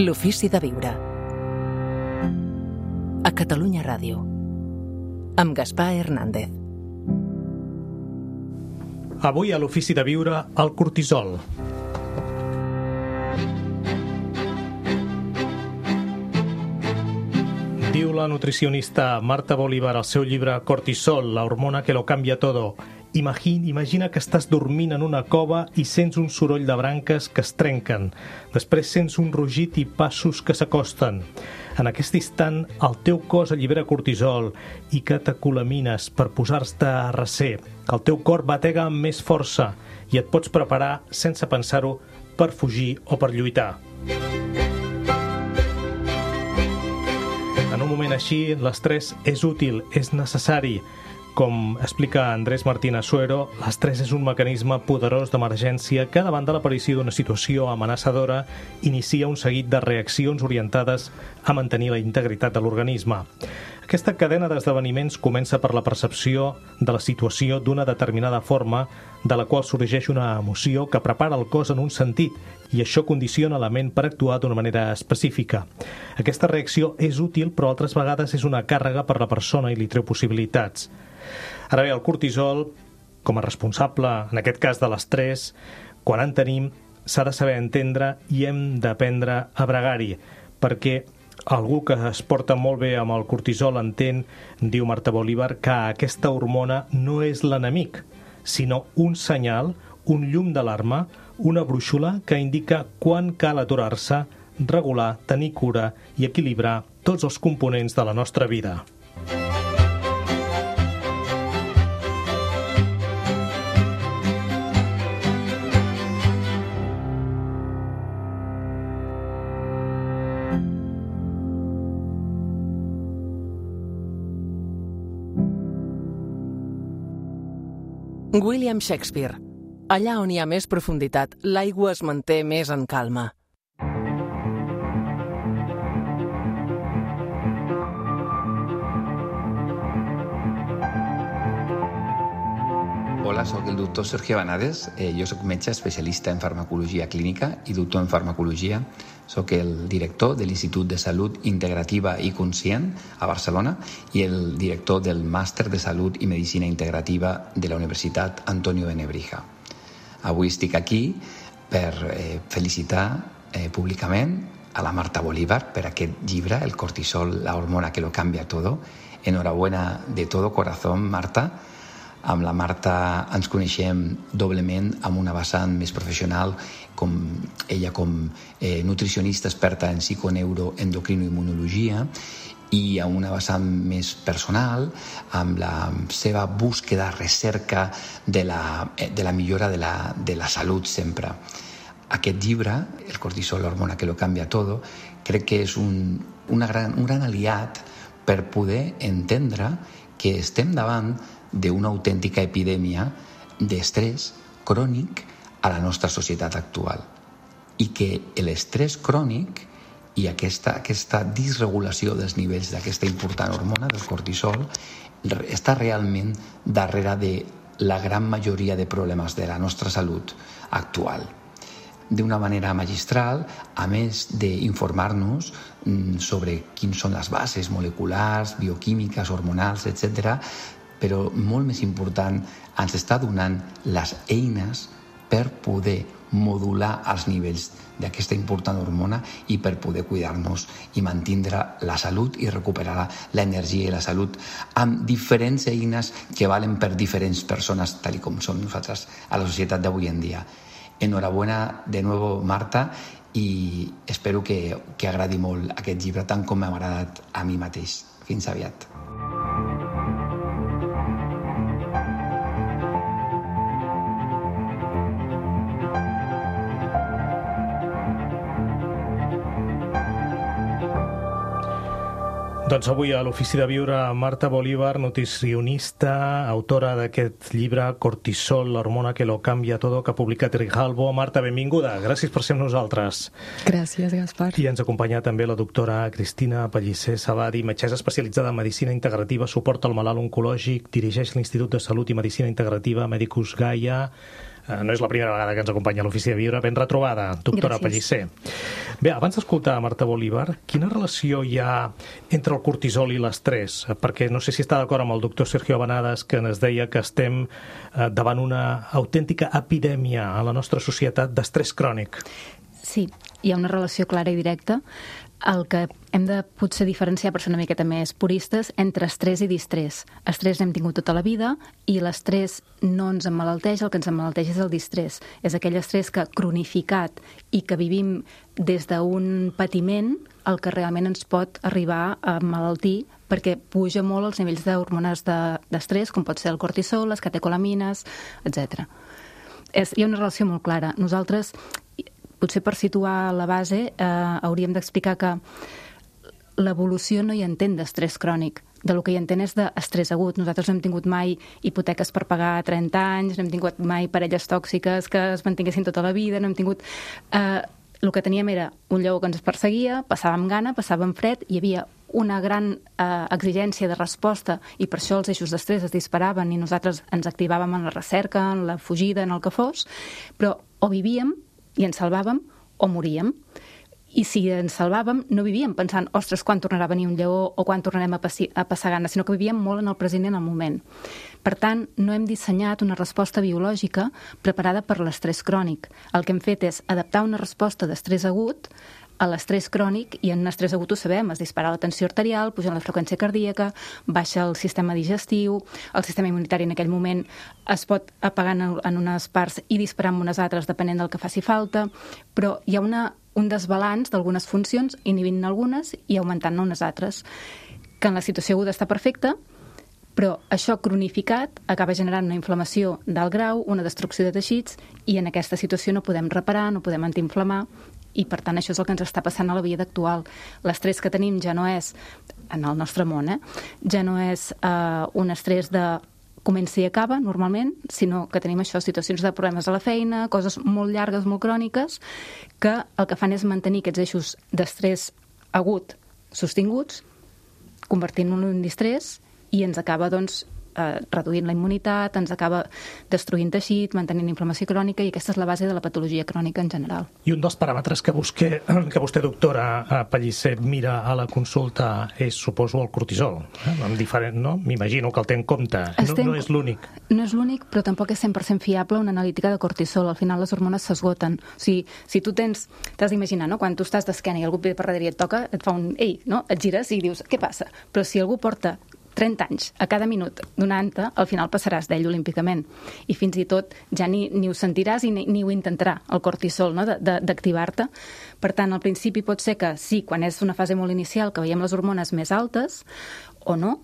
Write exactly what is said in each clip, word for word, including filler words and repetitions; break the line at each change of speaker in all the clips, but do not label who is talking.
L'ofici de viure. A Catalunya Ràdio. Amb Gaspar Hernández.
Avui a l'ofici de viure, el cortisol. Diu la nutricionista Marta Bolívar al seu llibre Cortisol, la hormona que lo cambia todo. Imagina, imagina que estàs dormint en una cova i sents un soroll de branques que es trenquen. Després sents un rugit i passos que s'acosten. En aquest instant, el teu cos allibera cortisol i catecolamines per posar-te a recer. El teu cor batega amb més força i et pots preparar, sense pensar-ho, per fugir o per lluitar. En un moment així, l'estrès és útil, és necessari. Com explica Andrés Martín Asuero, l'estrès és un mecanisme poderós d'emergència que, davant de l'aparició d'una situació amenaçadora, inicia un seguit de reaccions orientades a mantenir la integritat de l'organisme. Aquesta cadena d'esdeveniments comença per la percepció de la situació d'una determinada forma, de la qual sorgeix una emoció que prepara el cos en un sentit, i això condiciona la ment per actuar d'una manera específica. Aquesta reacció és útil, però altres vegades és una càrrega per la persona i li treu possibilitats. Ara bé, el cortisol, com a responsable, en aquest cas de l'estrès, quan en tenim, s'ha de saber entendre i hem d'aprendre a bregar-hi, perquè algú que es porta molt bé amb el cortisol entén, diu Marta Bolívar, que aquesta hormona no és l'enemic, sinó un senyal, un llum d'alarma, una brúixola que indica quan cal aturar-se, regular, tenir cura i equilibrar tots els components de la nostra vida.
William Shakespeare. Allà on hi ha més profunditat, l'aigua es manté més en calma.
Hola, soc el doctor Sergio Banades. Eh, jo soc metge especialista en farmacologia clínica i doctor en farmacologia. Soc el director de l'Institut de Salut Integrativa i Conscient a Barcelona i el director del Màster de Salut i Medicina Integrativa de la Universitat Antonio de Nebrija. Avui estic aquí per eh, felicitar eh, públicament a la Marta Bolívar per aquest llibre, El cortisol, la hormona que lo cambia todo. Enhorabuena de todo corazón, Marta. Amb la Marta ens coneixem doblement amb una vessant més professional, com ella com eh, nutricionista experta en psiconeuroendocrinoimmunologia, i amb una vessant més personal, amb la seva búsqueda, recerca de la, de la millora de la, de la salut sempre. Aquest llibre, El cortisol, la hormona que lo cambia todo, crec que és un, una gran, un gran aliat per poder entendre que estem davant d'una autèntica epidèmia d'estrès crònic a la nostra societat actual i que l'estrès crònic i aquesta, aquesta disregulació dels nivells d'aquesta important hormona del cortisol està realment darrere de la gran majoria de problemes de la nostra salut actual. D'una manera magistral, a més d'informar-nos sobre quines són les bases moleculars, bioquímiques, hormonals, etcètera, però molt més important, ens està donant les eines per poder modular els nivells d'aquesta important hormona i per poder cuidar-nos i mantindre la salut i recuperar l'energia i la salut amb diferents eines que valen per diferents persones, tal com som nosaltres a la societat d'avui en dia. Enhorabuena de nuevo, Marta, i espero que, que agradi molt aquest llibre, tant com m'ha agradat a mi mateix. Fins aviat.
Doncs avui a l'Ofici de Viure, Marta Bolívar, nutricionista, autora d'aquest llibre Cortisol, la hormona que lo cambia todo, que ha publicat Grijalbo. Marta, benvinguda. Gràcies per ser amb nosaltres.
Gràcies, Gaspar.
I ens acompanya també la doctora Cristina Pellicer Sabadi, metgessa especialitzada en Medicina Integrativa, suport al malalt oncològic, dirigeix l'Institut de Salut i Medicina Integrativa Medicus Gaia. no és la primera vegada que ens acompanya a l'Ofici de Viure. Ben retrobada, doctora Pellicer. Bé, abans d'escoltar Marta Bolívar, quina relació hi ha entre el cortisol i l'estrès? Perquè no sé si està d'acord amb el doctor Sergio Abanades, que ens deia que estem davant una autèntica epidèmia a la nostra societat d'estrès crònic.
Sí, hi ha una relació clara i directa. El que hem de potser diferenciar, per ser una miqueta més puristes, entre estrès i distrés. Estrès n'hem tingut tota la vida i l'estrès no ens emmalalteix, el que ens emmalalteix és el distrés. És aquell estrès que cronificat i que vivim des d'un patiment el que realment ens pot arribar a emmalaltir perquè puja molt els nivells d'hormones d'estrès, com pot ser el cortisol, les catecolamines, etcètera. Hi ha una relació molt clara. Nosaltres, potser per situar la base, eh, hauríem d'explicar que l'evolució no hi entén d'estrès crònic. De lo que hi entén és d'estrès agut. Nosaltres no hem tingut mai hipoteques per pagar a trenta anys, no hem tingut mai parelles tòxiques que es mantinguessin tota la vida, no hem tingut... Eh, el que teníem era un lleó que ens perseguia, passàvem gana, passàvem fred, hi havia una gran eh, exigència de resposta i per això els eixos d'estrès es disparaven i nosaltres ens activàvem en la recerca, en la fugida, en el que fos, però o vivíem i ens salvàvem o moríem. I si ens salvàvem, no vivíem pensant, ostres, quan tornarà a venir un lleó o quan tornarem a, passi, a passar gana, sinó que vivíem molt en el present i en el moment. Per tant, no hem dissenyat una resposta biològica preparada per l'estrès crònic. El que hem fet és adaptar una resposta d'estrès agut a l'estrès crònic, i en un estrès agut ho sabem, es dispara la tensió arterial, puja la freqüència cardíaca, baixa el sistema digestiu, el sistema immunitari en aquell moment es pot apagar en unes parts i disparar en unes altres depenent del que faci falta, però hi ha una, un desbalanç d'algunes funcions, inhibint algunes i augmentant unes altres, que en la situació aguda està perfecta, però això cronificat acaba generant una inflamació d'alt grau, una destrucció de teixits, i en aquesta situació no podem reparar, no podem antiinflamar, i per tant això és el que ens està passant a la vida actual. L'estrès que tenim ja no és, en el nostre món, eh, ja no és eh, un estrès de comença i acaba, normalment, sinó que tenim això, situacions de problemes a la feina, coses molt llargues, molt cròniques, que el que fan és mantenir aquests eixos d'estrès agut sostinguts, convertint-lo en un distrés, i ens acaba, doncs, eh, reduint la immunitat, ens acaba destruint teixit, mantenint inflamació crònica, i aquesta és la base de la patologia crònica en general.
I un dels paràmetres que, busqué, que vostè, doctora Pellicer, mira a la consulta és, suposo, el cortisol. Eh? Diferent, no? M'imagino que el té en compte. No, no és l'únic.
No és l'únic, però tampoc és cent per cent fiable una analítica de cortisol. Al final les hormones s'esgoten. O sigui, si tu tens... T'has d'imaginar, no? Quan tu estàs d'esquena i algú ve per darrere i et toca, et fa un ei, no? Et gires i dius, què passa? Però si algú porta trenta anys a cada minut donant-te, al final passaràs d'ell olímpicament. I fins i tot ja ni, ni ho sentiràs i ni, ni ho intentarà, el cortisol, no? d'activar-te. Per tant, al principi pot ser que sí, quan és una fase molt inicial, que veiem les hormones més altes, o no,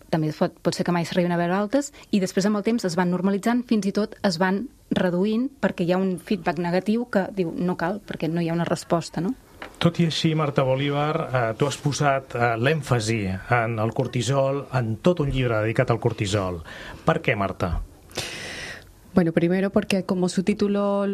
també pot, pot ser que mai s'arribin a veure altes, i després amb el temps es van normalitzant, fins i tot es van reduint perquè hi ha un feedback negatiu que diu no cal, perquè no hi ha una resposta, no?
Tot i així, Marta Bolívar, eh, tu has posat eh, l'èmfasi en el cortisol, en tot un llibre dedicat al cortisol. Per què, Marta?
Bueno, primero porque como su título,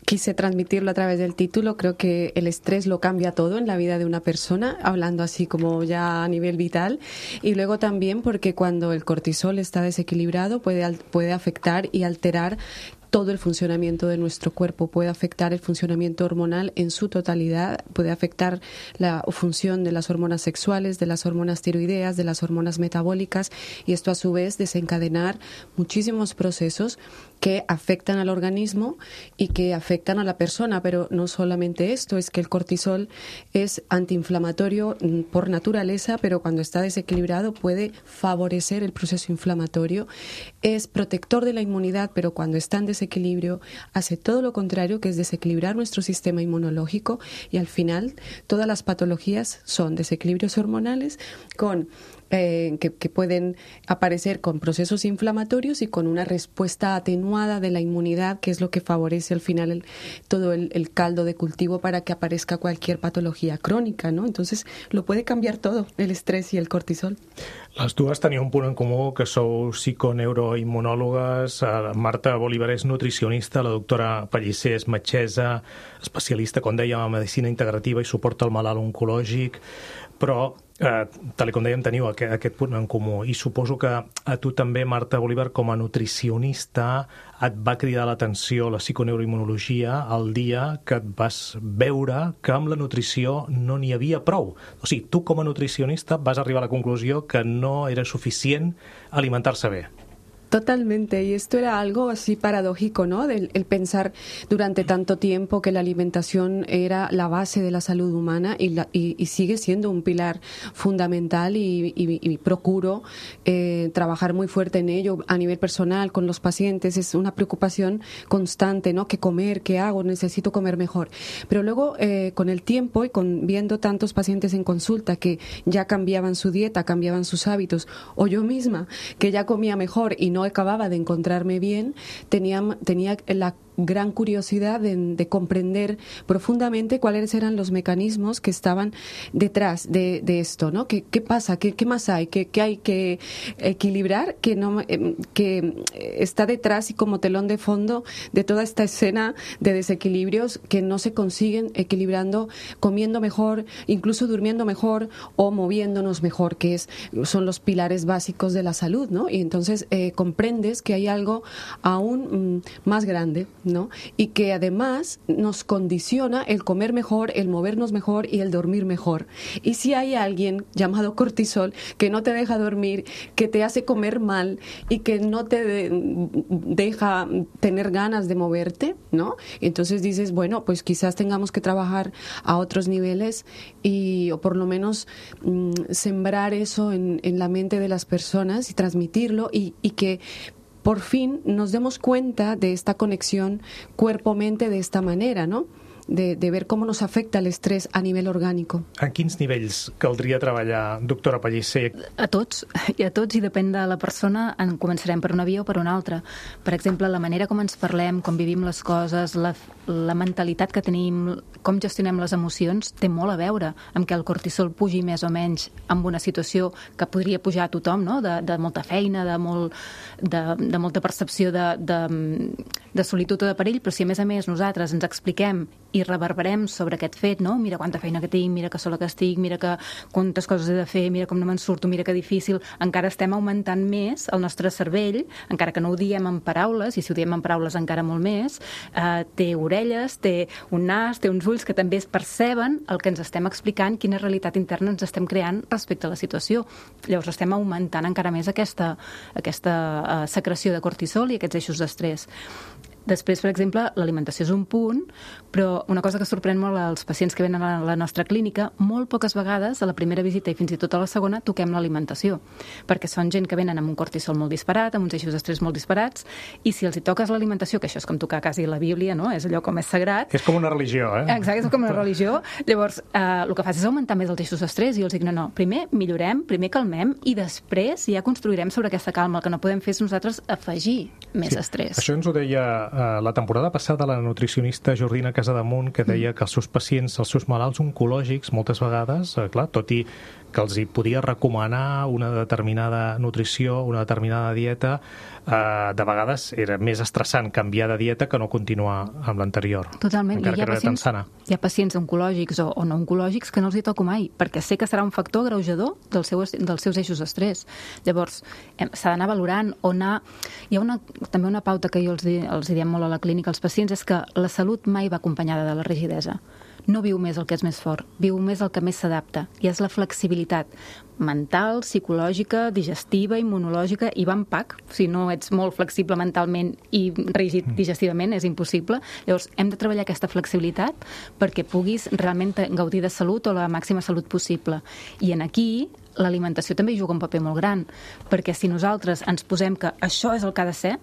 quise transmitirlo a través del título, creo que el estrés lo cambia todo en la vida de una persona, hablando así como ya a nivel vital, y luego también porque cuando el cortisol está desequilibrado puede, puede afectar y alterar todo el funcionamiento de nuestro cuerpo, puede afectar el funcionamiento hormonal en su totalidad, puede afectar la función de las hormonas sexuales, de las hormonas tiroideas, de las hormonas metabólicas, y esto a su vez desencadenar muchísimos procesos que afectan al organismo y que afectan a la persona, pero no solamente esto, es que el cortisol es antiinflamatorio por naturaleza, pero cuando está desequilibrado puede favorecer el proceso inflamatorio, es protector de la inmunidad, pero cuando está en desequilibrio hace todo lo contrario, que es desequilibrar nuestro sistema inmunológico, y al final todas las patologías son desequilibrios hormonales con Eh, que, que pueden aparecer con procesos inflamatorios y con una respuesta atenuada de la inmunidad, que es lo que favorece al final el, todo el, el caldo de cultivo para que aparezca cualquier patología crónica, ¿no? Entonces lo puede cambiar todo, el estrés y el cortisol.
Les dues teniu un punt en comú, que sou psiconeuroimmunòlogues. Marta Bolívar és nutricionista, la doctora Pellicer és metgessa, especialista, com dèiem, en medicina integrativa i suport al malalt oncològic. però, eh, tal com dèiem, teniu aquest, aquest punt en comú. I suposo que a tu també, Marta Bolívar, com a nutricionista, et va cridar l'atenció la psiconeuroimmunologia el dia que et vas veure que amb la nutrició no n'hi havia prou. O sigui, tu com a nutricionista vas arribar a la conclusió que no era suficient alimentar-se bé.
Totalmente, y esto era algo así paradójico, ¿no? El, el pensar durante tanto tiempo que la alimentación era la base de la salud humana y, la, y, y sigue siendo un pilar fundamental y, y, y procuro eh, trabajar muy fuerte en ello a nivel personal con los pacientes. Es una preocupación constante, ¿no? ¿Qué comer? ¿Qué hago? Necesito comer mejor. Pero luego, eh, con el tiempo y con viendo tantos pacientes en consulta que ya cambiaban su dieta, cambiaban sus hábitos, o yo misma que ya comía mejor y no acababa de encontrarme bien, tenía, tenía la gran curiosidad de, de comprender profundamente cuáles eran los mecanismos que estaban detrás de, de esto, ¿no? ¿Qué, qué pasa? ¿Qué, qué más hay? ¿Qué, qué hay que equilibrar? Que, no, que está detrás y como telón de fondo de toda esta escena de desequilibrios que no se consiguen equilibrando, comiendo mejor, incluso durmiendo mejor o moviéndonos mejor, que es, son los pilares básicos de la salud, ¿no? Y entonces eh, comprendes que hay algo aún mm, más grande, ¿no? Y que además nos condiciona el comer mejor, el movernos mejor y el dormir mejor. Y si hay alguien llamado cortisol que no te deja dormir, que te hace comer mal y que no te de, deja tener ganas de moverte, ¿no? Entonces dices, bueno, pues quizás tengamos que trabajar a otros niveles y o por lo menos mmm, sembrar eso en, en la mente de las personas y transmitirlo y, y que por fin nos demos cuenta de esta conexión cuerpo-mente de esta manera, ¿no? De, de ver com nos afecta l'estrès a nivell orgànic.
En quins nivells caldria treballar, doctora Pellicer?
A tots, i a tots, i depèn de la persona, en començarem per una via o per una altra. Per exemple, la manera com ens parlem, com vivim les coses, la, la mentalitat que tenim, com gestionem les emocions, té molt a veure amb que el cortisol pugi més o menys amb una situació que podria pujar a tothom, no? de, de molta feina, de, molt, de, de molta percepció de, de, de solitud o de perill, però si a més a més nosaltres ens expliquem i reverberem sobre aquest fet, no? Mira quanta feina que tinc, mira que sola que estic, mira que quantes coses he de fer, mira com no me'n surto, mira que difícil, encara estem augmentant més el nostre cervell, encara que no ho diem en paraules, i si ho diem en paraules encara molt més, eh, té orelles, té un nas, té uns ulls que també es perceben el que ens estem explicant, quina realitat interna ens estem creant respecte a la situació. Llavors estem augmentant encara més aquesta, aquesta eh, secreció de cortisol i aquests eixos d'estrès. Després, per exemple, l'alimentació és un punt, però una cosa que sorprèn molt als pacients que venen a la nostra clínica, molt poques vegades, a la primera visita i fins i tot a la segona, toquem l'alimentació, perquè són gent que venen amb un cortisol molt disparat, amb uns eixos d'estrès molt disparats, i si els hi toques l'alimentació, que això és com tocar quasi la Bíblia, no? És allò com és sagrat.
És com una religió, eh?
Exacte, és com una religió. Llavors, eh, el que fas és augmentar més els eixos d'estrès i els dic, no, no, primer millorem, primer calmem i després ja construirem sobre aquesta calma. El que no podem fer és nosaltres afegir més
sí.
estrès.
Això ens ho deia la temporada passada la nutricionista Jordina Casademunt, que deia que els seus pacients, els seus malalts oncològics, moltes vegades, clar, tot i que els hi podia recomanar una determinada nutrició, una determinada dieta, eh, de vegades era més estressant canviar de dieta que no continuar amb l'anterior.
Totalment.
Encara
I hi ha
que no era tan sana.
Hi ha pacients oncològics o, o no oncològics que no els hi toco mai, perquè sé que serà un factor agreujador del seu, dels seus eixos d'estrès. Llavors, s'ha d'anar valorant o anar... Hi ha una, també una pauta que jo els, di, els diem molt a la clínica als pacients, és que la salut mai va acompanyada de la rigidesa. No viu més el que és més fort, viu més el que més s'adapta, i és la flexibilitat mental, psicològica, digestiva, immunològica, i va en pack. Si no ets molt flexible mentalment i rígid digestivament, és impossible. Llavors, hem de treballar aquesta flexibilitat perquè puguis realment gaudir de salut o la màxima salut possible. I en aquí l'alimentació també hi juga un paper molt gran, perquè si nosaltres ens posem que això és el que ha de ser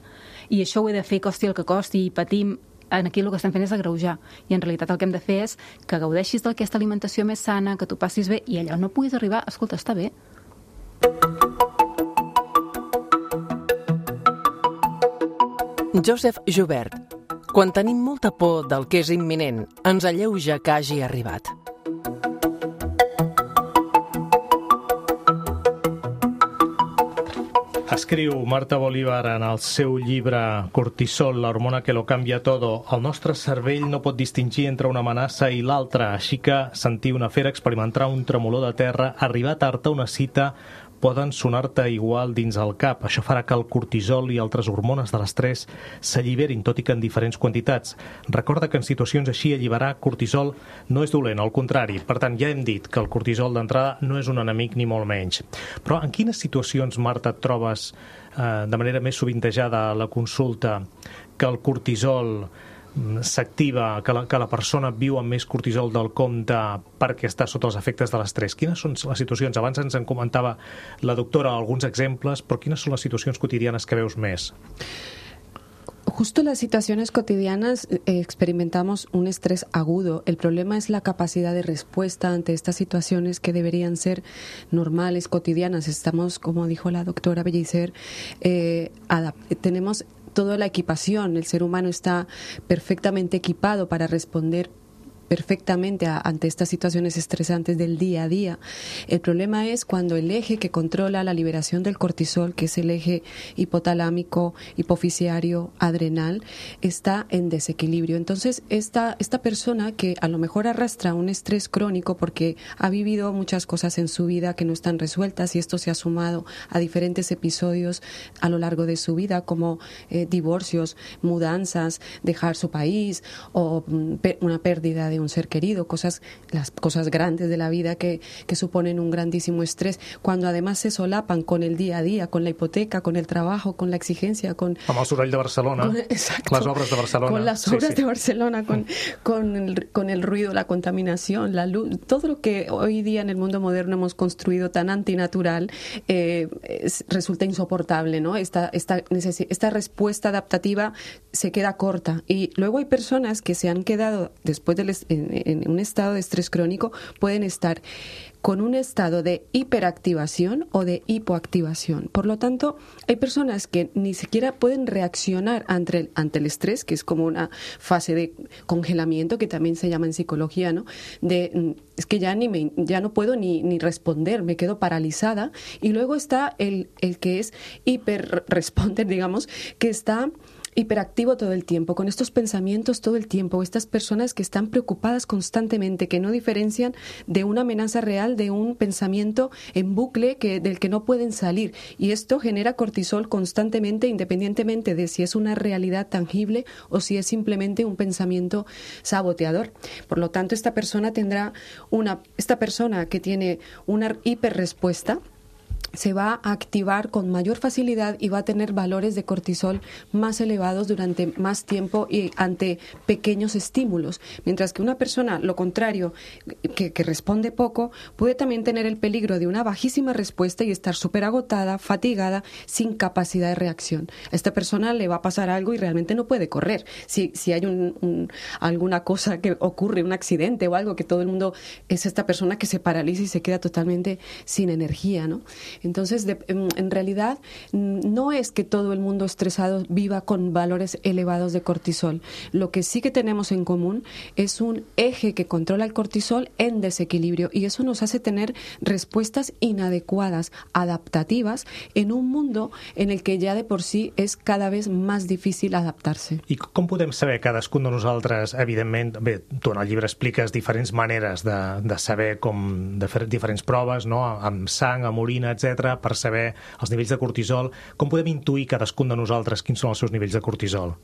i això ho he de fer costi el que costi i patim, aquí el que estem fent és agreujar, i en realitat el que hem de fer és que gaudeixis d'aquesta alimentació més sana, que tu passis bé, i allà no puguis arribar, escolta, està bé.
Joseph Joubert. Quan tenim molta por del que és imminent, ens alleuja que hagi arribat.
Escriu Marta Bolívar en el seu llibre Cortisol, la hormona que lo cambia todo. El nostre cervell no pot distingir entre una amenaça i l'altra, així que sentir una fera, experimentar un tremolor de terra, arribar tard a una cita, poden sonar-te igual dins el cap. Això farà que el cortisol i altres hormones de l'estrès s'alliberin, tot i que en diferents quantitats. Recorda que en situacions així alliberar cortisol no és dolent, al contrari. Per tant, ja hem dit que el cortisol d'entrada no és un enemic ni molt menys. Però en quines situacions, Marta, et trobes eh, de manera més sovintejada a la consulta que el cortisol s'activa, que la, que la persona viu amb més cortisol del compte perquè està sota els efectes de l'estrès? Quines són les situacions? Abans ens en comentava la doctora alguns exemples, però quines són les situacions quotidianes que veus més?
Justo en las situaciones cotidianas eh, experimentamos un estrés agudo. El problema es la capacidad de respuesta ante estas situaciones que deberían ser normales, cotidianas. Estamos, como dijo la doctora Bellicer, eh, tenemos toda la equipación. El ser humano está perfectamente equipado para responder perfectamente a, ante estas situaciones estresantes del día a día. El problema es cuando el eje que controla la liberación del cortisol, que es el eje hipotalámico, hipofisiario, adrenal, está en desequilibrio. Entonces, esta, esta persona que a lo mejor arrastra un estrés crónico porque ha vivido muchas cosas en su vida que no están resueltas, y esto se ha sumado a diferentes episodios a lo largo de su vida, como eh, divorcios, mudanzas, dejar su país o mm, pe- una pérdida de un ser querido, cosas, las cosas grandes de la vida que, que suponen un grandísimo estrés, cuando además se solapan con el día a día, con la hipoteca, con el trabajo, con la exigencia, con...
Amb el soroll de Barcelona,
con, exacto,
las obras de Barcelona.
Con las obras sí, sí. de Barcelona, con, con, el, con el ruido, la contaminación, la luz, todo lo que hoy día en el mundo moderno hemos construido tan antinatural, eh, es, resulta insoportable, ¿no? Esta, esta, esta respuesta adaptativa se queda corta. Y luego hay personas que se han quedado, después del En, en un estado de estrés crónico, pueden estar con un estado de hiperactivación o de hipoactivación. Por lo tanto, hay personas que ni siquiera pueden reaccionar ante el, ante el estrés, que es como una fase de congelamiento, que también se llama en psicología, ¿no? De, es que ya, ni me, ya no puedo ni, ni responder, me quedo paralizada. Y luego está el, el que es hiperresponder, digamos, que está hiperactivo todo el tiempo, con estos pensamientos todo el tiempo, estas personas que están preocupadas constantemente, que no diferencian de una amenaza real de un pensamiento en bucle que, del que no pueden salir. Y esto genera cortisol constantemente, independientemente de si es una realidad tangible o si es simplemente un pensamiento saboteador. Por lo tanto, esta persona tendrá una, esta persona que tiene una hiperrespuesta se va a activar con mayor facilidad y va a tener valores de cortisol más elevados durante más tiempo y ante pequeños estímulos. Mientras que una persona, lo contrario, que, que responde poco, puede también tener el peligro de una bajísima respuesta y estar súper agotada, fatigada, sin capacidad de reacción. A esta persona le va a pasar algo y realmente no puede correr. Si, si hay un, un, alguna cosa que ocurre, un accidente o algo, que todo el mundo es esta persona que se paraliza y se queda totalmente sin energía, ¿no? Entonces, de, en realidad, no es que todo el mundo estresado viva con valores elevados de cortisol. Lo que sí que tenemos en común es un eje que controla el cortisol en desequilibrio, y eso nos hace tener respuestas inadecuadas, adaptativas, en un mundo en el que ja de por sí és cada vez més difícil adaptar-se.
I com podem saber cadascun de nosaltres, evidentment, bé, tu en el llibre expliques diferents maneres de, de saber com, de fer diferents proves, no?, amb sang, amb orina, etcètera, per saber els nivells de cortisol. Com podem intuir cadascun de nosaltres quins són els seus nivells de cortisol?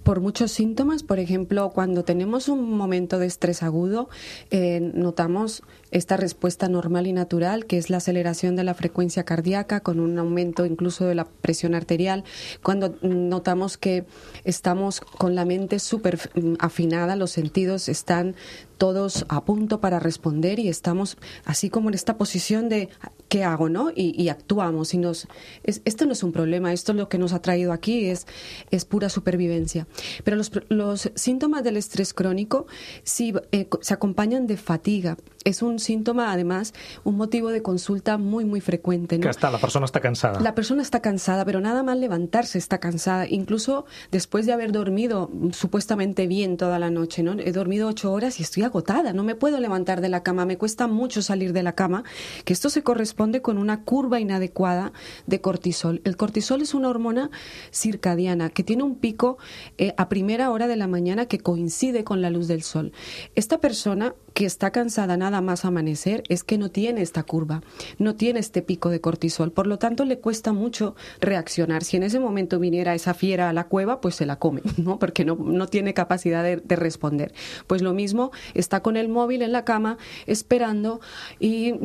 Por muchos síntomas. Por ejemplo, cuando tenemos un momento de estrés agudo, eh, notamos esta respuesta normal y natural, que es la aceleración de la frecuencia cardíaca con un aumento incluso de la presión arterial. Cuando notamos que estamos con la mente súper afinada, los sentidos están todos a punto para responder y estamos así como en esta posición de ¿qué hago?, ¿no? Y, y actuamos. Y nos, es, esto no es un problema, esto es lo que nos ha traído aquí, es, es pura supervivencia. Pero los, los síntomas del estrés crónico sí, eh, se acompañan de fatiga. Es un síntoma, además, un motivo de consulta muy, muy frecuente, ¿no?
Que está, la persona está cansada.
La persona está cansada, pero nada más levantarse está cansada, incluso después de haber dormido supuestamente bien toda la noche, ¿no? He dormido ocho horas y estoy agotada, no me puedo levantar de la cama, me cuesta mucho salir de la cama, que esto se corresponde corresponde con una curva inadecuada de cortisol. El cortisol es una hormona circadiana que tiene un pico eh, a primera hora de la mañana que coincide con la luz del sol. Esta persona que está cansada nada más amanecer es que no tiene esta curva, no tiene este pico de cortisol, por lo tanto le cuesta mucho reaccionar. Si en ese momento viniera esa fiera a la cueva, pues se la come, ¿no? Porque no, no tiene capacidad de, de responder. Pues lo mismo, está con el móvil en la cama esperando y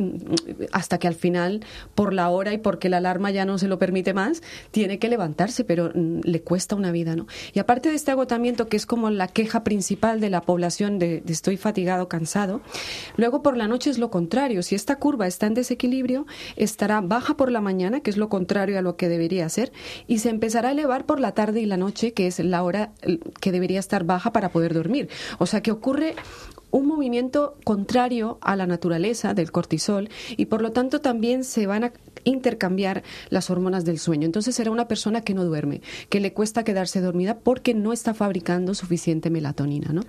hasta que al final, por la hora y porque la alarma ya no se lo permite más, tiene que levantarse, pero mm, le cuesta una vida, ¿no? Y aparte de este agotamiento, que es como la queja principal de la población de, de estoy fatigado, cansado, luego por la noche es lo contrario. Si esta curva está en desequilibrio, estará baja por la mañana, que es lo contrario a lo que debería ser, y se empezará a elevar por la tarde y la noche, que es la hora que debería estar baja para poder dormir. O sea que ocurre un movimiento contrario a la naturaleza del cortisol y por lo tanto también se van a intercambiar las hormonas del sueño. Entonces será una persona que no duerme, que le cuesta quedarse dormida porque no está fabricando suficiente melatonina, ¿no?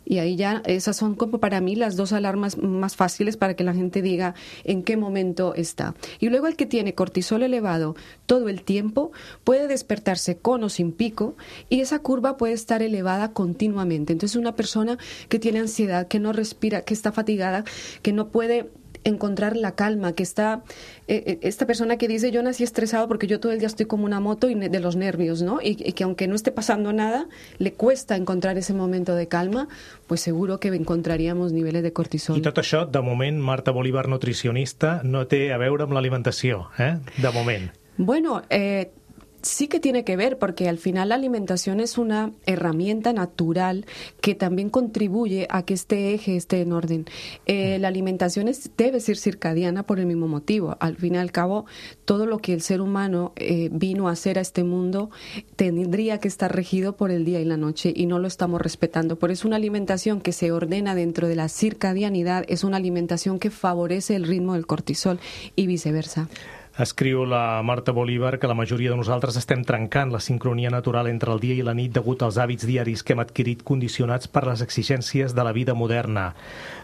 Y ahí ya esas son como para mí las dos alarmas más fáciles para que la gente diga en qué momento está. Y luego el que tiene cortisol elevado todo el tiempo puede despertarse con o sin pico y esa curva puede estar elevada continuamente. Entonces una persona que tiene ansiedad, que no respira, que está fatigada, que no puede encontrar la calma, que está eh, esta persona que dice yo nací estresado porque yo todo el día estoy como una moto y de los nervios, ¿no? Y, y que aunque no esté pasando nada, le cuesta encontrar ese momento de calma, pues seguro que encontraríamos niveles de cortisol.
I tot això, de moment, Marta Bolívar, nutricionista, no té a veure amb l'alimentació, eh? De moment.
Bueno, eh, sí que tiene que ver, porque al final la alimentación es una herramienta natural que también contribuye a que este eje esté en orden. Eh, la alimentación es, debe ser circadiana por el mismo motivo. Al fin y al cabo, todo lo que el ser humano eh, vino a hacer a este mundo tendría que estar regido por el día y la noche y no lo estamos respetando. Por eso una alimentación que se ordena dentro de la circadianidad es una alimentación que favorece el ritmo del cortisol y viceversa.
Escriu la Marta Bolívar que la majoria de nosaltres estem trencant la sincronia natural entre el dia i la nit degut als hàbits diaris que hem adquirit condicionats per les exigències de la vida moderna.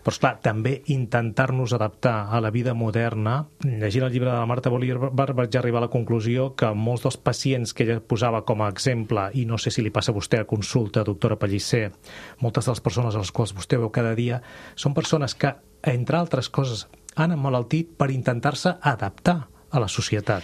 Però, esclar, també intentar-nos adaptar a la vida moderna. Llegint el llibre de la Marta Bolívar vaig arribar a la conclusió que molts dels pacients que ella posava com a exemple, i no sé si li passa a vostè a consulta, doctora Pellicer, moltes de les persones a les quals vostè veu cada dia, són persones que, entre altres coses, han emmalaltit per intentar-se adaptar a la societat,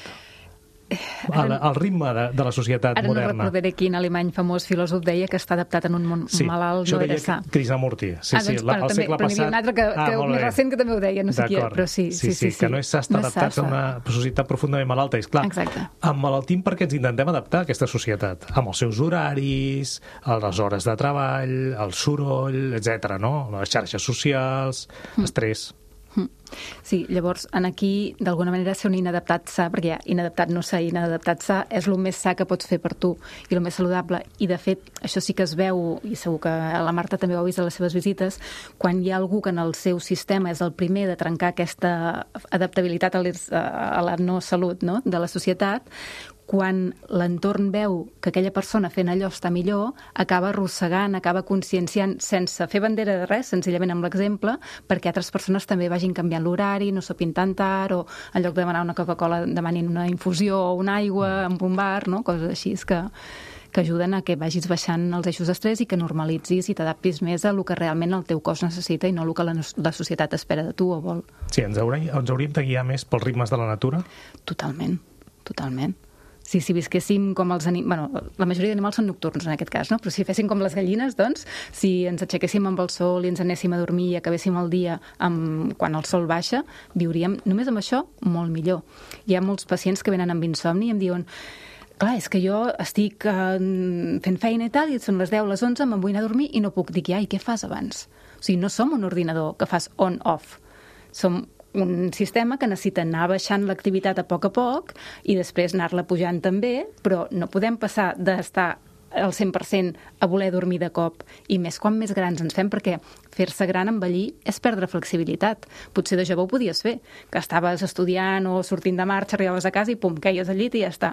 al, al ritme de, de la societat
ara
moderna.
Ara no recordaré quin alemany famós filòsof deia que està adaptat en un món
sí,
malalt no era sa.
Krishnamurti. Sí,
ah, doncs,
sí, la,
bueno,
el
també,
segle
però
passat...
n'hi havia un altre que,
ah,
que més recent que també ho deia, no sé qui, però sí.
Sí, sí, sí, sí, que no està
no
adaptat a una societat profundament malalta. És clar,
exacte.
emmalaltim perquè ens intentem adaptar a aquesta societat, amb els seus horaris, a les hores de treball, el soroll, etcètera, no? Les xarxes socials, mm. estrès...
Sí, llavors, en aquí, d'alguna manera, ser un inadaptat sa, perquè ja, inadaptat no sa, inadaptat sa, és el més sa que pots fer per tu i el més saludable. I, de fet, això sí que es veu, i segur que la Marta també ho ha vist a les seves visites, quan hi ha algú que en el seu sistema és el primer de trencar aquesta adaptabilitat a, les, a la no salut, no?, de la societat, quan l'entorn veu que aquella persona fent allò està millor, acaba arrossegant, acaba conscienciant, sense fer bandera de res, senzillament amb l'exemple, perquè altres persones també vagin canviant l'horari, no sopin tan tard, o en lloc de demanar una Coca-Cola demanin una infusió o una aigua amb un bar, no? Coses així que, que ajuden a que vagis baixant els eixos d'estrès i que normalitzis i t'adaptis més a el que realment el teu cos necessita i no el que la, la societat espera de tu o vol.
Sí, ens hauríem, ens hauríem de guiar més pels ritmes de la natura?
Totalment, totalment. Sí, si visquéssim com els animals... Bueno, la majoria d'animals són nocturns, en aquest cas, no? Però si féssim com les gallines, doncs, si ens aixequéssim amb el sol i ens anéssim a dormir i acabéssim el dia amb... quan el sol baixa, viuríem, només amb això, molt millor. Hi ha molts pacients que venen amb insomni i em diuen clar, és que jo estic eh, fent feina i tal, i són les deu, les onze, me'n vull anar a dormir i no puc. Dic, ja, i què fas abans? O sigui, no som un ordinador que fas on-off. Som un sistema que necessita anar baixant l'activitat a poc a poc i després anar-la pujant també, però no podem passar d'estar al cent per cent a voler dormir de cop, i més quan més grans ens fem, perquè fer-se gran, envellir, és perdre flexibilitat. Potser de jove ho podies fer, que estaves estudiant o sortint de marxa, arribaves a casa i pum, queies al llit i ja està.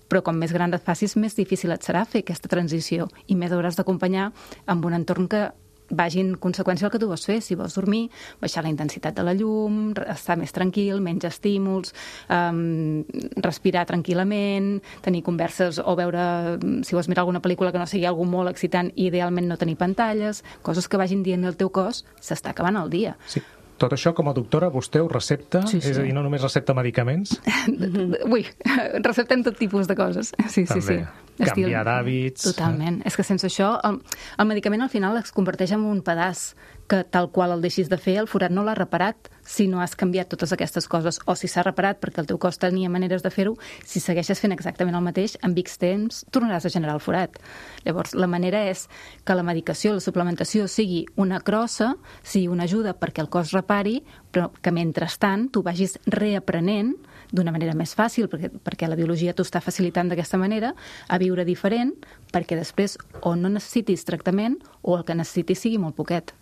Però com més gran et facis, més difícil et serà fer aquesta transició i més hauràs d'acompanyar amb un entorn que vagi en conseqüència el que tu vols fer. Si vols dormir, baixar la intensitat de la llum, estar més tranquil, menys estímuls, um, respirar tranquil·lament, tenir converses o veure, si vols mirar alguna pel·lícula que no sigui algú molt excitant, idealment no tenir pantalles, coses que vagin dient el teu cos, s'està acabant el dia.
Sí. Tot això, com a doctora, vostè ho recepta?
Sí, sí.
És a dir, no només recepta medicaments?
Ui, receptem tot tipus de coses. Sí,
També.
sí, sí.
Canviar d'hàbits.
Totalment. Eh? És que sense això, el, el medicament al final es converteix en un pedaç que tal qual el deixis de fer, el forat no l'ha reparat si no has canviat totes aquestes coses, o si s'ha reparat perquè el teu cos tenia maneres de fer-ho, si segueixes fent exactament el mateix, en X temps tornaràs a generar el forat. Llavors, la manera és que la medicació, la suplementació sigui una crossa, sigui una ajuda perquè el cos repari, però que mentrestant tu vagis reaprenent d'una manera més fàcil, perquè, perquè la biologia t'ho està facilitant d'aquesta manera, a viure diferent, perquè després o no necessitis tractament o el que necessitis sigui molt poquet.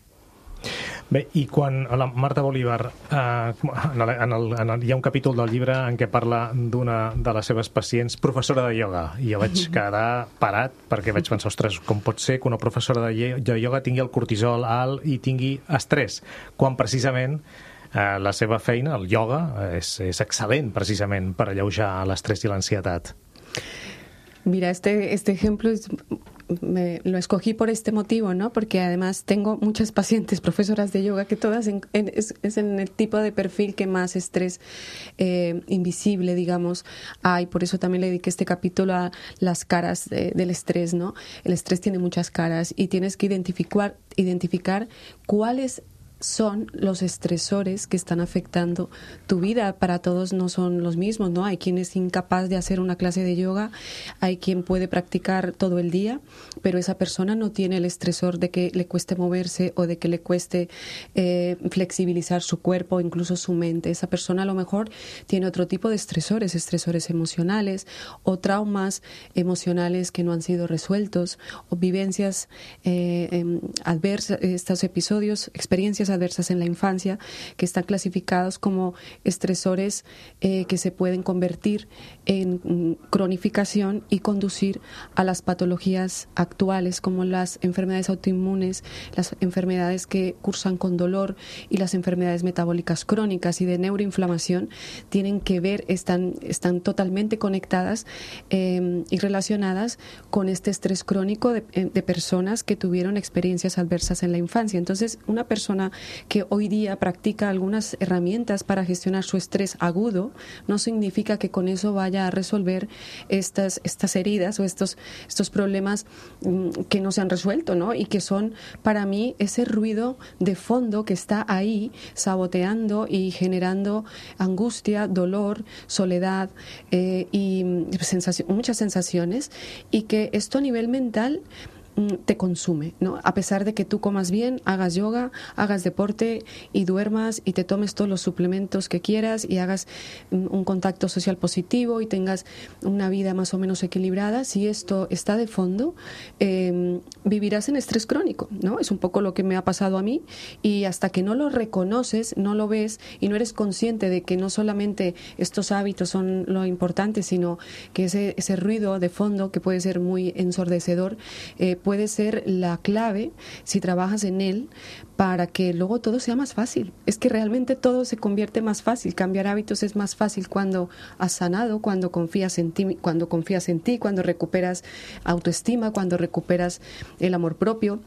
Bé, i quan la Marta Bolívar, eh, en el, en el, en el, hi ha un capítol del llibre en què parla d'una de les seves pacients, professora de ioga, i jo vaig quedar parat perquè vaig pensar, ostres, com pot ser que una professora de, de ioga tingui el cortisol alt i tingui estrès, quan precisament eh, la seva feina, el ioga, és, és excel·lent precisament per alleujar l'estrès i l'ansietat.
Mira, este, este ejemplo es, me, lo escogí por este motivo, ¿no? Porque además tengo muchas pacientes profesoras de yoga que todas en, en, es, es en el tipo de perfil que más estrés eh, invisible, digamos, hay. Por eso también le dediqué este capítulo a las caras de, del estrés, ¿no? El estrés tiene muchas caras y tienes que identificar, identificar cuáles son los estresores que están afectando tu vida. Para todos no son los mismos, ¿no? Hay quien es incapaz de hacer una clase de yoga, hay quien puede practicar todo el día, pero esa persona no tiene el estresor de que le cueste moverse o de que le cueste eh, flexibilizar su cuerpo, incluso su mente. Esa persona a lo mejor tiene otro tipo de estresores, estresores emocionales o traumas emocionales que no han sido resueltos o vivencias eh, eh, adversas, estos episodios, experiencias adversas en la infancia que están clasificados como estresores eh, que se pueden convertir en mm, cronificación y conducir a las patologías actuales como las enfermedades autoinmunes, las enfermedades que cursan con dolor y las enfermedades metabólicas crónicas y de neuroinflamación tienen que ver, están, están totalmente conectadas eh, y relacionadas con este estrés crónico de, de personas que tuvieron experiencias adversas en la infancia. Entonces, una persona que hoy día practica algunas herramientas para gestionar su estrés agudo, no significa que con eso vaya a resolver estas, estas heridas o estos, estos problemas um, que no se han resuelto, ¿no? Y que son para mí ese ruido de fondo que está ahí saboteando y generando angustia, dolor, soledad eh, y sensación, muchas sensaciones, y que esto a nivel mental te consume, ¿no? A pesar de que tú comas bien, hagas yoga, hagas deporte y duermas y te tomes todos los suplementos que quieras y hagas un contacto social positivo y tengas una vida más o menos equilibrada, si esto está de fondo, eh, vivirás en estrés crónico, ¿no? Es un poco lo que me ha pasado a mí, y hasta que no lo reconoces, no lo ves y no eres consciente de que no solamente estos hábitos son lo importante, sino que ese, ese ruido de fondo que puede ser muy ensordecedor, eh, puede ser la clave, si trabajas en él, para que luego todo sea más fácil. Es que realmente todo se convierte más fácil. Cambiar hábitos es más fácil cuando has sanado, cuando confías en ti, cuando confías en ti, cuando recuperas autoestima, cuando recuperas el amor propio.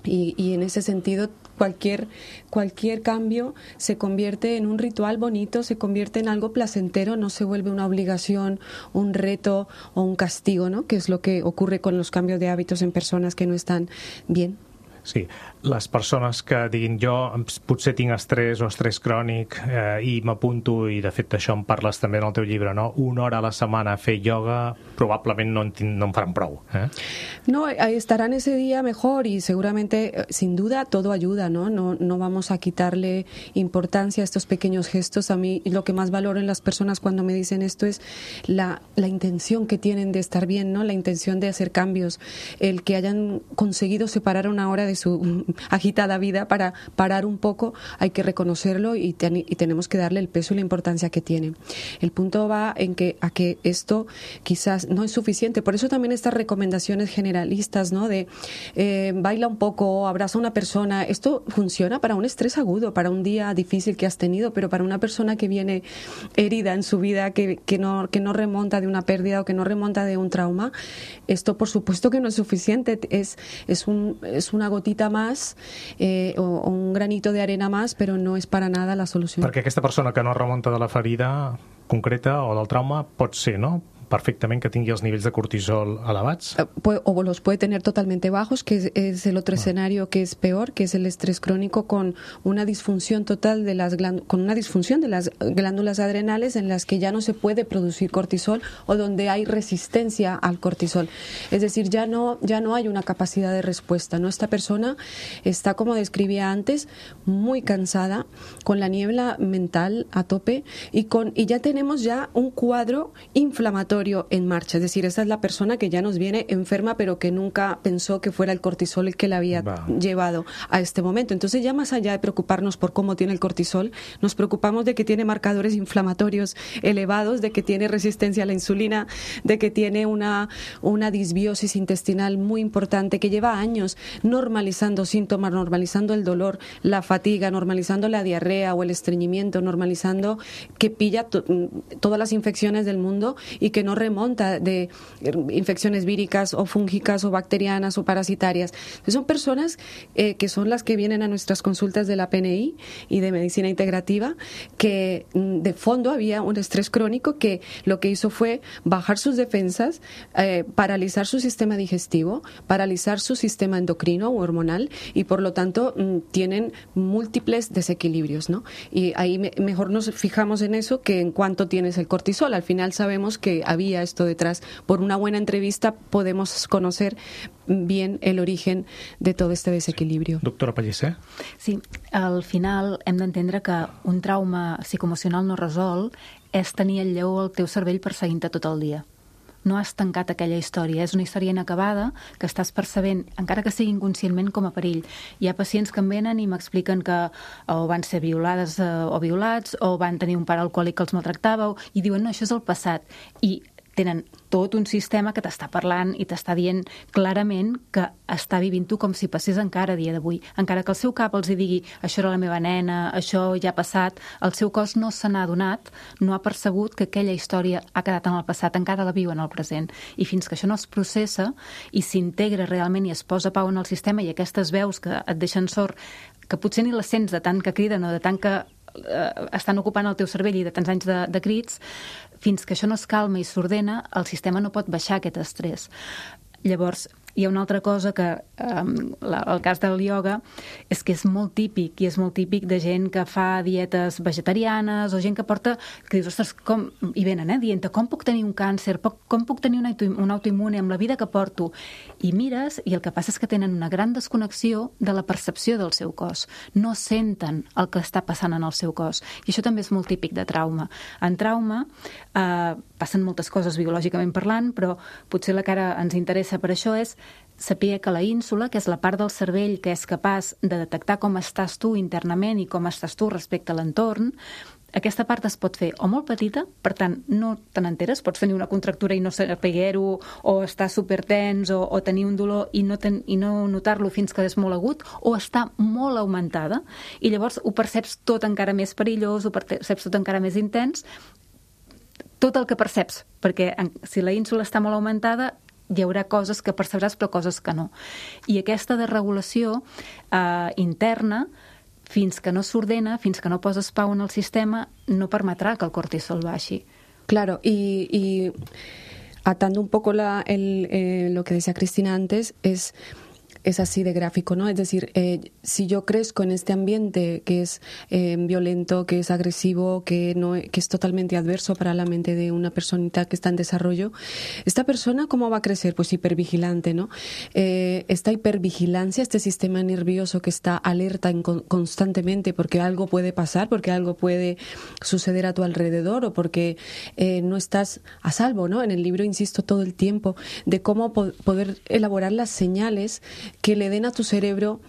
Y, y en ese sentido, cualquier, cualquier cambio se convierte en un ritual bonito, se convierte en algo placentero, no se vuelve una obligación, un reto o un castigo, ¿no? Que es lo que ocurre con los cambios de hábitos en personas que no están bien.
Sí, les persones que diguin jo potser tinc estrès o estrès crònic eh, i m'apunto, i de fet això en parles també en el teu llibre, no? Una hora a la setmana a fer yoga probablement no en, no en faran prou. ¿eh?
No, estarán ese día mejor y seguramente, sin duda, todo ayuda, ¿no? No, no vamos a quitarle importancia a estos pequeños gestos. A mí lo que más valoro en las personas cuando me dicen esto es la, la intención que tienen de estar bien, ¿no? La intención de hacer cambios, el que hayan conseguido separar una hora de su agitada vida, para parar un poco hay que reconocerlo y, ten, y tenemos que darle el peso y la importancia que tiene. El punto va en que a que esto quizás no es suficiente. Por eso también estas recomendaciones generalistas, ¿no? De eh, baila un poco, abraza a una persona. Esto funciona para un estrés agudo, para un día difícil que has tenido, pero para una persona que viene herida en su vida, que, que, no, que no remonta de una pérdida o que no remonta de un trauma, esto por supuesto que no es suficiente. Es, es, un, es una gotita más eh, o, o un granito de arena más, però no és per a nada la solució.
Perquè aquesta persona que no remunta de la ferida concreta o del trauma pot ser, no?, perfectamente que tingui els nivells de cortisol elevats.
O los puede tener totalmente bajos, que es, es el otro ah. escenario que es peor, que es el estrés crónico con una disfunción total de las glándulas, con una disfunción de las glándulas adrenales en las que ya no se puede producir cortisol o donde hay resistencia al cortisol. Es decir, ya no, ya no hay una capacidad de respuesta, ¿no? Esta persona está, como describía antes, muy cansada, con la niebla mental a tope y, con, y ya tenemos ya un cuadro inflamatorio en marcha. Es decir, esa es la persona que ya nos viene enferma, pero que nunca pensó que fuera el cortisol el que la había wow. llevado a este momento. Entonces, ya más allá de preocuparnos por cómo tiene el cortisol, nos preocupamos de que tiene marcadores inflamatorios elevados, de que tiene resistencia a la insulina, de que tiene una, una disbiosis intestinal muy importante, que lleva años normalizando síntomas, normalizando el dolor, la fatiga, normalizando la diarrea o el estreñimiento, normalizando que pilla to- todas las infecciones del mundo y que no remonta de infecciones víricas o fúngicas o bacterianas o parasitarias. Entonces, son personas eh, que son las que vienen a nuestras consultas de la P N I y de medicina integrativa, que de fondo había un estrés crónico que lo que hizo fue bajar sus defensas, eh, paralizar su sistema digestivo, paralizar su sistema endocrino o hormonal y por lo tanto tienen múltiples desequilibrios, ¿no? Y ahí me, mejor nos fijamos en eso que en cuánto tienes el cortisol. Al final sabemos que había esto detrás. Por una buena entrevista podemos conocer bien el origen de todo este desequilibrio.
Doctora Pellicer?
Sí, al final hem d'entendre que un trauma psicoemocional no resolt és tenir el lleó al teu cervell perseguint-te tot el dia. No has tancat aquella història. És una història inacabada que estàs percebent, encara que sigui inconscientment, com a perill. Hi ha pacients que em venen i m'expliquen que o van ser violades o violats o van tenir un pare alcohòlic que els maltractava i diuen, no, això és el passat. I tenen tot un sistema que t'està parlant i t'està dient clarament que està vivint tu com si passés encara a dia d'avui. Encara que el seu cap els hi digui això era la meva nena, això ja ha passat, el seu cos no se n'ha adonat, no ha percebut que aquella història ha quedat en el passat, encara la viu en el present. I fins que això no es processa i s'integra realment i es posa pau en el sistema i aquestes veus que et deixen sord, que potser ni les sents de tant que criden o de tant que eh, estan ocupant el teu cervell i de tants anys de, de crits, fins que això no es calma i s'ordena, el sistema no pot baixar aquest estrès. Llavors, hi ha una altra cosa que, um, la, el cas del ioga, és que és molt típic, i és molt típic de gent que fa dietes vegetarianes o gent que porta, que dius, ostres, com, i venen, eh, dient, com puc tenir un càncer, com puc tenir un, auto, un autoimmune amb la vida que porto? I mires, i el que passa és que tenen una gran desconnexió de la percepció del seu cos. No senten el que està passant en el seu cos. I això també és molt típic de trauma. En trauma eh, passen moltes coses biològicament parlant, però potser la que ara ens interessa per això és saber que la ínsula, que és la part del cervell que és capaç de detectar com estàs tu internament i com estàs tu respecte a l'entorn, aquesta part es pot fer o molt petita, per tant, no te n'enteres, pots tenir una contractura i no saber-ho, o estar supertens, o, o tenir un dolor i no, ten, i no notar-lo fins que és molt agut, o està molt augmentada, i llavors ho perceps tot encara més perillós, ho perceps tot encara més intens, tot el que perceps, perquè si la ínsula està molt augmentada, hi haurà coses que percebràs però coses que no. I aquesta desregulació eh, interna, fins que no s'ordena, fins que no poses pau en el sistema, no permetrà que el cortisol baixi.
Claro, y, y atando un poco la, el, eh, lo que decía Cristina antes, es... es así de gráfico, ¿no? Es decir, eh, si yo crezco en este ambiente que es eh, violento, que es agresivo, que no que es totalmente adverso para la mente de una personita que está en desarrollo, esta persona, ¿cómo va a crecer? Pues hipervigilante, ¿no? Eh, esta hipervigilancia, este sistema nervioso que está alerta en, constantemente porque algo puede pasar, porque algo puede suceder a tu alrededor o porque eh, no estás a salvo, ¿no? En el libro insisto todo el tiempo de cómo po- poder elaborar las señales que le den a tu cerebro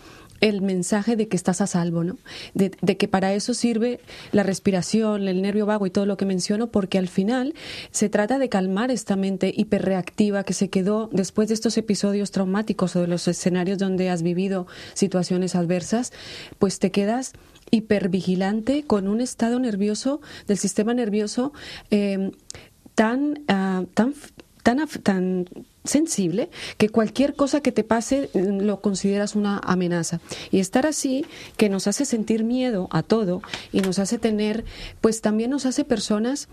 el mensaje de que estás a salvo, ¿no? De, de que para eso sirve la respiración, el nervio vago y todo lo que menciono, porque al final se trata de calmar esta mente hiperreactiva que se quedó después de estos episodios traumáticos o de los escenarios donde has vivido situaciones adversas, pues te quedas hipervigilante con un estado nervioso del sistema nervioso eh, tan, uh, tan, tan, tan sensible que cualquier cosa que te pase lo consideras una amenaza. Y estar así, que nos hace sentir miedo a todo y nos hace tener, pues también nos hace personas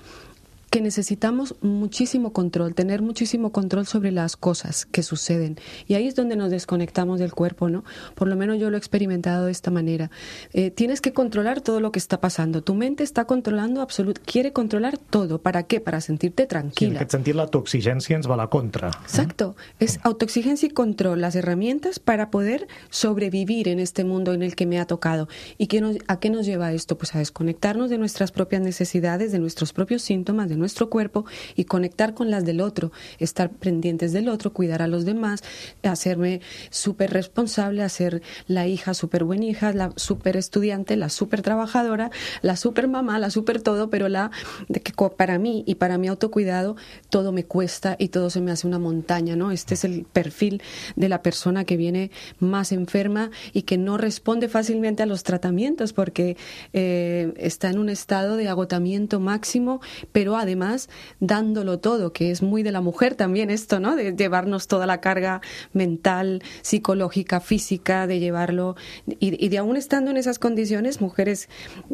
que necesitamos muchísimo control, tener muchísimo control sobre las cosas que suceden. Y ahí es donde nos desconectamos del cuerpo, ¿no? Por lo menos yo lo he experimentado de esta manera. Eh, tienes que controlar todo lo que está pasando. Tu mente está controlando absolut, quiere controlar todo. ¿Para qué? Para sentirte tranquila.
Sí, en aquest sentit, l'autoexigència ens va a la contra.
Exacto. Eh? Es autoexigencia y control, las herramientas para poder sobrevivir en este mundo en el que me ha tocado. ¿Y qué nos, a qué nos lleva esto? Pues a desconectarnos de nuestras propias necesidades, de nuestros propios síntomas, de nuestro cuerpo y conectar con las del otro, estar pendientes del otro, cuidar a los demás, hacerme súper responsable, hacer la hija súper buena hija, la súper estudiante, la súper trabajadora, la súper mamá, la súper todo, pero la de que para mí y para mi autocuidado todo me cuesta y todo se me hace una montaña, ¿no? Este es el perfil de la persona que viene más enferma y que no responde fácilmente a los tratamientos porque eh, está en un estado de agotamiento máximo, pero además Además, dándolo todo, que es muy de la mujer también esto, ¿no? De llevarnos toda la carga mental, psicológica, física, de llevarlo. Y, y de aún estando en esas condiciones, mujeres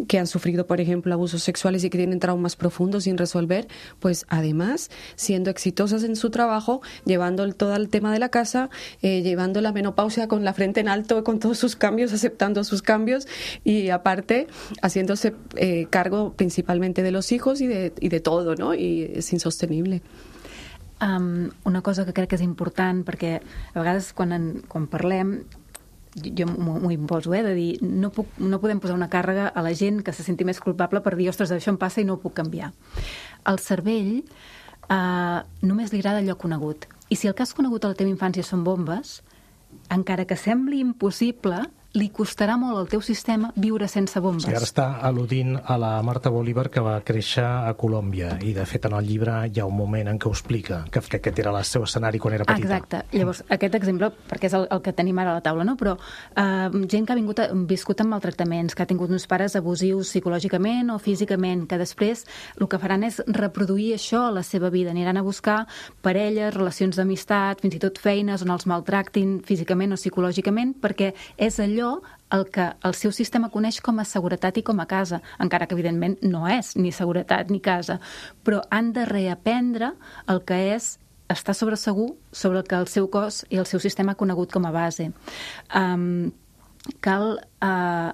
que han sufrido, por ejemplo, abusos sexuales y que tienen traumas profundos sin resolver, pues además, siendo exitosas en su trabajo, llevando el, todo el tema de la casa, eh, llevando la menopausia con la frente en alto, con todos sus cambios, aceptando sus cambios y aparte, haciéndose eh, cargo principalmente de los hijos y de, y de todo, no? I és insostenible.
Um, una cosa que crec que és important, perquè a vegades quan, en, quan parlem, jo m'ho imposo, eh, de dir, no, puc, no podem posar una càrrega a la gent que se senti més culpable per dir, ostres, això em passa i no ho puc canviar. Al cervell uh, només li agrada allò conegut. I si el que has conegut a la teva infància són bombes, encara que sembli impossible, li costarà molt al teu sistema viure sense bombes.
Sí, ara està al·ludint a la Marta Bolívar, que va créixer a Colòmbia, i de fet en el llibre hi ha un moment en què ho explica, que aquest era el seu escenari quan era petita.
Exacte. Llavors, aquest exemple, perquè és el, el que tenim ara a la taula, no? Però eh, gent que ha vingut a, viscut amb maltractaments, que ha tingut uns pares abusius psicològicament o físicament, que després el que faran és reproduir això a la seva vida. Aniran a buscar parelles, relacions d'amistat, fins i tot feines on els maltractin físicament o psicològicament, perquè és allò el que el seu sistema coneix com a seguretat i com a casa, encara que evidentment no és ni seguretat ni casa, però han de reaprendre el que és estar sobre segur sobre el que el seu cos i el seu sistema ha conegut com a base. Um, cal... Uh,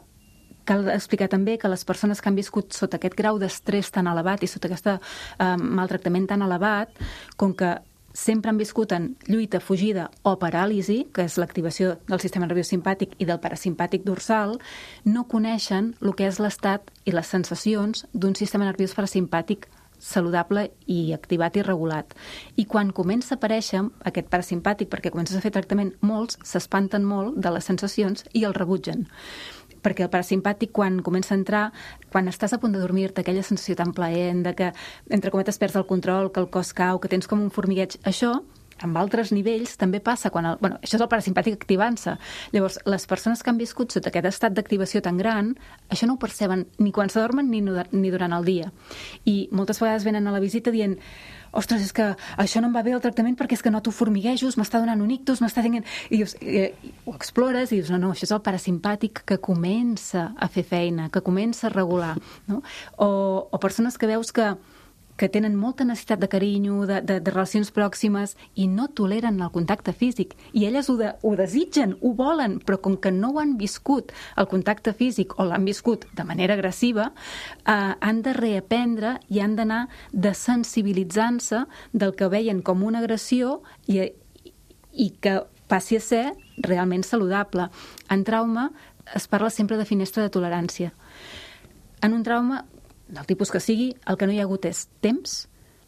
Cal explicar també que les persones que han viscut sota aquest grau d'estrès tan elevat i sota aquest uh, maltractament tan elevat, com que sempre han viscut en lluita, fugida o paràlisi, que és l'activació del sistema nerviós simpàtic i del parasimpàtic dorsal, no coneixen el que és l'estat i les sensacions d'un sistema nerviós parasimpàtic saludable i activat i regulat. I quan comença a aparèixer aquest parasimpàtic, perquè comences a fer tractament, molts s'espanten molt de les sensacions i el rebutgen. Perquè el parasimpàtic, quan comença a entrar, quan estàs a punt de dormir-te, aquella sensació tan plaent, de que, entre cometes, perds el control, que el cos cau, que tens com un formigueig, això, amb altres nivells, també passa quan... El, bueno, això és el parasimpàtic activant-se. Llavors, les persones que han viscut sota aquest estat d'activació tan gran, això no ho perceben ni quan s'adormen ni, ni durant el dia. I moltes vegades venen a la visita dient ostres, és que això no em va bé el tractament perquè és que noto formiguejos, m'està donant un ictus, m'està tenint... I dius, i, i, ho explores i dius, no, no, això és el parasimpàtic que comença a fer feina, que comença a regular, no? O, o persones que veus que que tenen molta necessitat de carinyo, de, de, de relacions pròximes i no toleren el contacte físic. I elles ho, de, ho desitgen, ho volen, però com que no ho han viscut el contacte físic o l'han viscut de manera agressiva, eh, han de reaprendre i han d'anar desensibilitzant-se del que veien com una agressió i, i que passi a ser realment saludable. En trauma es parla sempre de finestra de tolerància. En un trauma del tipus que sigui, el que no hi ha hagut és temps,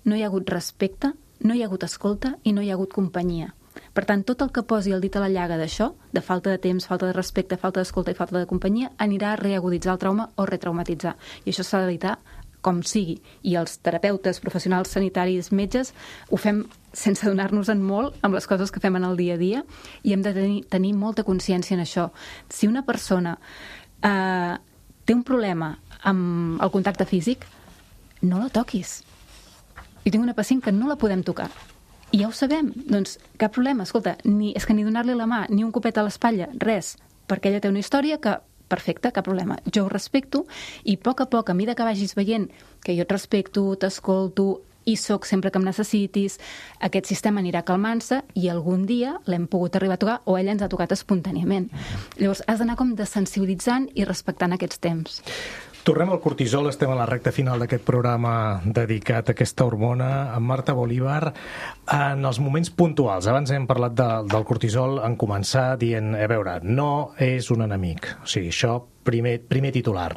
no hi ha hagut respecte, no hi ha hagut escolta i no hi ha hagut companyia. Per tant, tot el que posi el dit a la llaga d'això, de falta de temps, falta de respecte, falta d'escolta i falta de companyia, anirà a reaguditzar el trauma o retraumatitzar. I això s'ha d'evitar com sigui. I els terapeutes, professionals sanitaris, metges, ho fem sense donar-nos-en molt amb les coses que fem en el dia a dia i hem de tenir, tenir molta consciència en això. Si una persona eh, té un problema amb el contacte físic, no la toquis. Jo tinc una pacient que no la podem tocar. I ja ho sabem, doncs cap problema. Escolta, ni, és que ni donar-li la mà, ni un copet a l'espatlla, res, perquè ella té una història que perfecte, cap problema. Jo ho respecto i a poc a poc, a mesura que vagis veient que jo et respecto, t'escolto i sóc sempre que em necessitis, aquest sistema anirà calmant-se i algun dia l'hem pogut arribar a tocar o ella ens ha tocat espontàniament. Llavors, has d'anar com desensibilitzant i respectant aquests temps.
Tornem al cortisol, estem a la recta final d'aquest programa dedicat a aquesta hormona. Amb Marta Bolívar, en els moments puntuals, abans hem parlat de, del cortisol en començar dient, a veure, no és un enemic, o sigui, això primer, primer titular,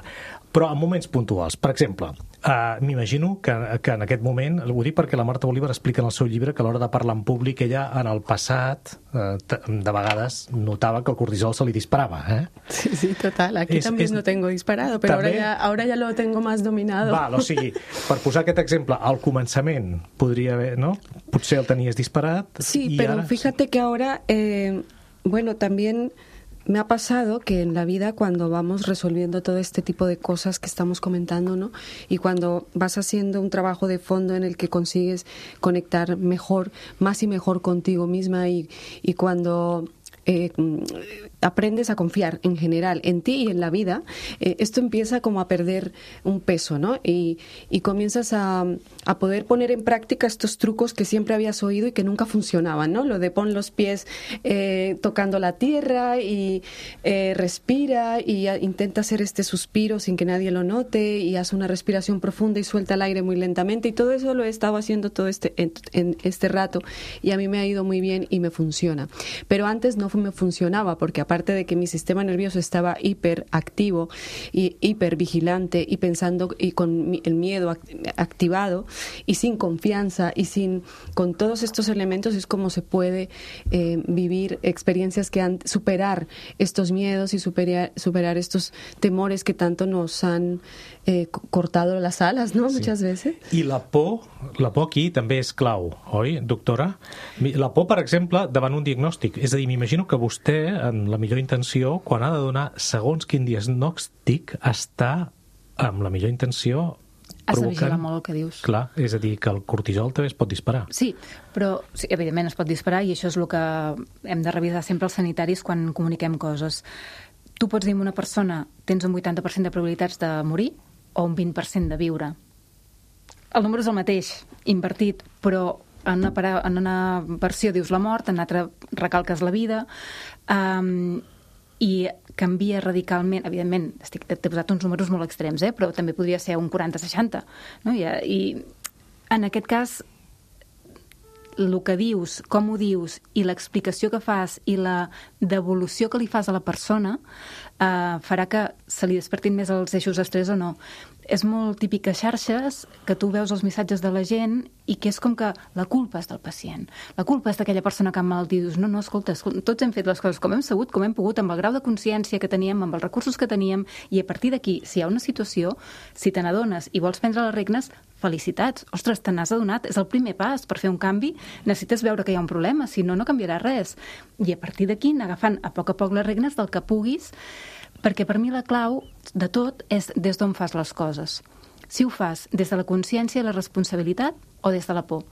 però en moments puntuals, per exemple, Uh, m'imagino que, que en aquest moment, ho dic perquè la Marta Bolívar explica en el seu llibre que a l'hora de parlar en públic ella en el passat uh, de vegades notava que el cortisol se li disparava, eh?
Sí, sí, total. Aquí
és,
també
és...
no tengo disparado, però ahora ya, ahora ya lo tengo más dominado.
Val, o sigui, per posar aquest exemple, al començament podria haver, no? Potser el tenies disparat.
Sí,
y
pero
ara...
fíjate que ahora, eh, bueno, también me ha pasado que en la vida cuando vamos resolviendo todo este tipo de cosas que estamos comentando, ¿no? Y cuando vas haciendo un trabajo de fondo en el que consigues conectar mejor, más y mejor contigo misma y, y cuando eh, aprendes a confiar en general en ti y en la vida, eh, esto empieza como a perder un peso, ¿no? Y, y comienzas a, a poder poner en práctica estos trucos que siempre habías oído y que nunca funcionaban, ¿no? Lo de pon los pies eh, tocando la tierra y eh, respira y a, intenta hacer este suspiro sin que nadie lo note y haz una respiración profunda y suelta el aire muy lentamente, y todo eso lo he estado haciendo todo este, en, en este rato y a mí me ha ido muy bien y me funciona. Pero antes no me funcionaba porque aparte de que mi sistema nervioso estaba hiperactivo y hipervigilante y pensando y con el miedo activado y sin confianza y sin con todos estos elementos, es como se puede eh, vivir experiencias que han superar estos miedos y superar, superar estos temores que tanto nos han eh, cortado las alas, ¿no? Sí. Muchas veces.
I la por, la por aquí també és clau, oi, doctora? La por, per exemple, davant un diagnòstic. És a dir, m'imagino que vostè, en la millor intenció, quan ha de donar segons quin diagnòstic, està amb la millor intenció
Has de vigilar molt el que dius.
Clar, és a dir, que el cortisol també es pot disparar.
Sí, però sí, evidentment es pot disparar i això és el que hem de revisar sempre els sanitaris quan comuniquem coses. Tu pots dir a una persona tens un vuitanta per cent de probabilitats de morir o un vint per cent de viure. El número és el mateix, invertit, però en una, para... en una versió dius la mort, en l'altra recalques la vida, um, i canvia radicalment, evidentment, estic, t'he posat uns números molt extrems, eh? Però també podria ser un quaranta seixanta, no? I, I en aquest cas, el que dius, com ho dius, i l'explicació que fas i la devolució que li fas a la persona eh, farà que se li despertin més els eixos d'estrès o no. És molt típic a xarxes que tu veus els missatges de la gent i que és com que la culpa és del pacient. La culpa és d'aquella persona que ha malaltia. I dius, no, no, escolta, escolta, tots hem fet les coses com hem sabut, com hem pogut, amb el grau de consciència que teníem, amb els recursos que teníem, i a partir d'aquí, si hi ha una situació, si te n'adones i vols prendre les regnes, felicitats. Ostres, te n'has adonat, és el primer pas per fer un canvi. Necessites veure que hi ha un problema, si no, no canviarà res. I a partir d'aquí, anar agafant a poc a poc les regnes del que puguis, perquè per mi la clau de tot és des d'on fas les coses. Si ho fas des de la consciència i la responsabilitat o des de la por.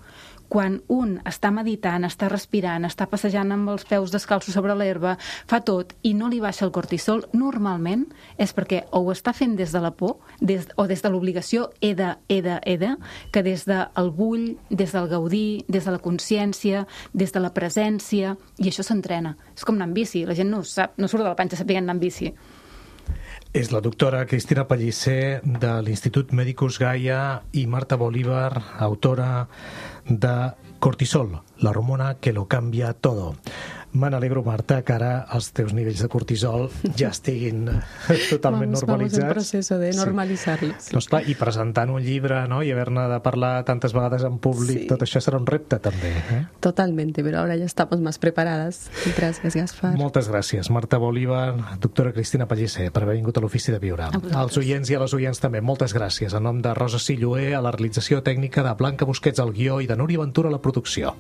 Quan un està meditant, està respirant, està passejant amb els peus descalços sobre l'herba, fa tot i no li baixa el cortisol, normalment és perquè o ho està fent des de la por des, o des de l'obligació, he de, he de, he de, que des del bull, des del gaudir, des de la consciència, des de la presència, i això s'entrena. És com anar en bici, la gent no ho sap, no surt de la panxa sapient anar en bici.
És la doctora Cristina Pellicer de l'Institut Medicus Gaia i Marta Bolívar, autora de Cortisol, la hormona que lo cambia todo. Me n'alegro, Marta, que ara els teus nivells de cortisol ja estiguin totalment
vamos,
normalitzats.
Vamos en proceso de normalitzar-los.
Sí. Doncs clar, i presentant un llibre, no?, i haver-ne de parlar tantes vegades en públic,
Sí.
tot això serà un repte, també. Eh?
Totalmente, pero ahora ya estamos más preparadas. Gracias, Gaspar.
Moltes gràcies, Marta Bolívar, doctora Cristina Pellicer, per haver vingut a l'Ofici de Viure. Als oients i a les oients també, moltes gràcies. En nom de Rosa Silloé, a la realització tècnica, de Blanca Busquets al guió i de Núria Ventura a la producció.